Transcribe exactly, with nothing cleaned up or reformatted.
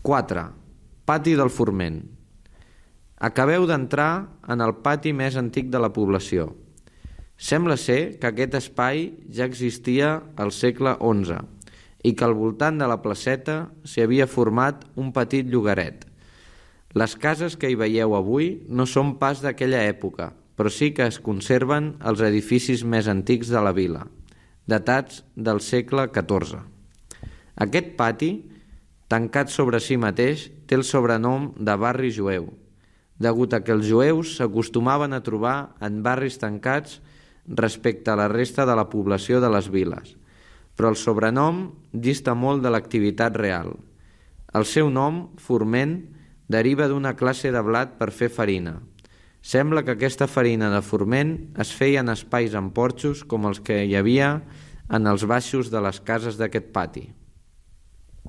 quatre. Pati del Forment. Acabeu d'entrar en el pati més antic de la població. Sembla ser que aquest espai ja existia al segle onze i que al voltant de la placeta s'hi havia format un petit llogaret. Les cases que hi veieu avui no són pas d'aquella època, però sí que es conserven els edificis més antics de la vila, datats del segle catorze. Aquest pati, tancat sobre si mateix, té el sobrenom de barri jueu, degut a que els jueus s'acostumaven a trobar en barris tancats respecte a la resta de la població de les viles, però el sobrenom dista molt de l'activitat real. El seu nom, Forment, deriva d'una classe de blat per fer farina. Sembla que aquesta farina de forment es feia en espais amb porxos com els que hi havia en els baixos de les cases d'aquest pati.